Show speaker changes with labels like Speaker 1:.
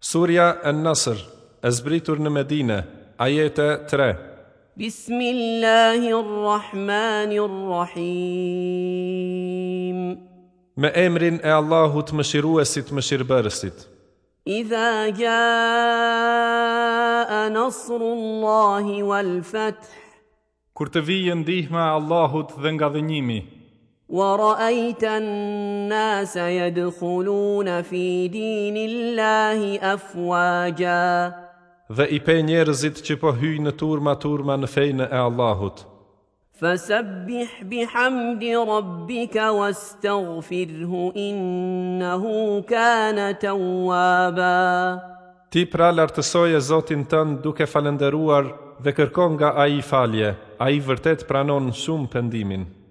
Speaker 1: Surja En-Nasr, e zbritur në Medine, Ajete 3.
Speaker 2: Bismillahi Rrahmani Rrahim.
Speaker 1: Me emrin e Allahut Mëshiruesit Mëshirëbërësit.
Speaker 2: Idha jaa nasrullahi wal fath.
Speaker 1: Kur të vijë ndihma e Allahut dhe ngadhënjimi.
Speaker 2: Wa ra'ayta an-nasa yadkhuluna fi dinillahi afwaja.
Speaker 1: Dhe i pe njerëzit që po hyjnë në turma turma në fenë e Allahut.
Speaker 2: Fasabbih bihamdi rabbika wastaghfirhu innahu kana tawwaba.
Speaker 1: Ti pra lartësoje Zotin tënd duke falënderuar dhe kërko nga Ai falje, Ai vërtet pranon shumë pendimin.